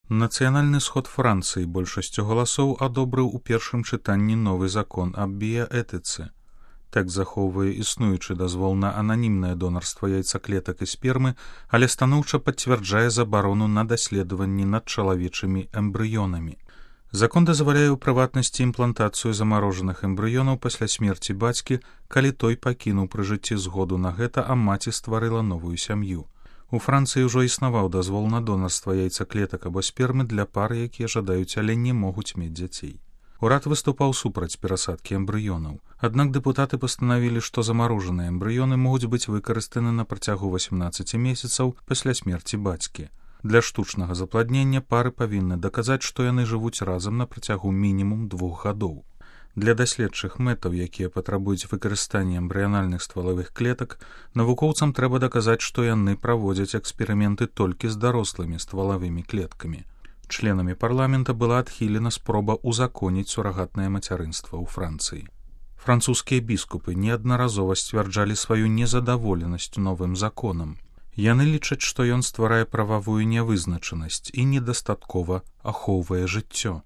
Нацыянальны сход Францыі большасцю галасоў адобрыў у першым чытанні новы закон аб біяэтыцы. Тэкст захоўвае існуючы дазвол на ананімнае донарства яйцаклетак і спермы, але станоўча пацвярджае забарону на даследаванні над чалавечымі эмбрыёнамі. Закон дазваляе ў прыватнасці імплантацыю замарожаных эмбрыёнаў пасля смерці бацькі, калі той пакінуў пры жыцці згоду на гэта, а маці стварыла новую сям'ю. У Францыі ўжо існаваў дазвол на донарства яйцаклетак або спермы для пар, якія жадаюць, але не могуць мець дзяцей. Урад выступаў супраць перасадкі эмбрыёнаў. Аднак дэпутаты пастанавілі, што замарожаныя эмбрыёны могуць быць выкарыстаны на працягу 18 месяцаў пасля смерці бацькі. Для штучнага запладнення пары павінны даказаць, што яны жывуць разам на працягу мінімум 2 гадоў. Для даследчых мэтаў, якія патрабуюць выкарыстання эмбрыянальных ствалавых клетак, навукоўцам трэба даказаць, што яны праводзяць эксперыменты толькі з дарослымі ствалавымі клеткамі. Членамі парламента была адхілена спроба ўзаконіць сурагатнае мацярынства ў Францыі. Французскія біскупы неаднаразова сцвярджалі сваю незадаволенасць новым законам. Яны лічаць, што ён стварае прававую нявызначанасць і недастаткова ахоўвае жыццё.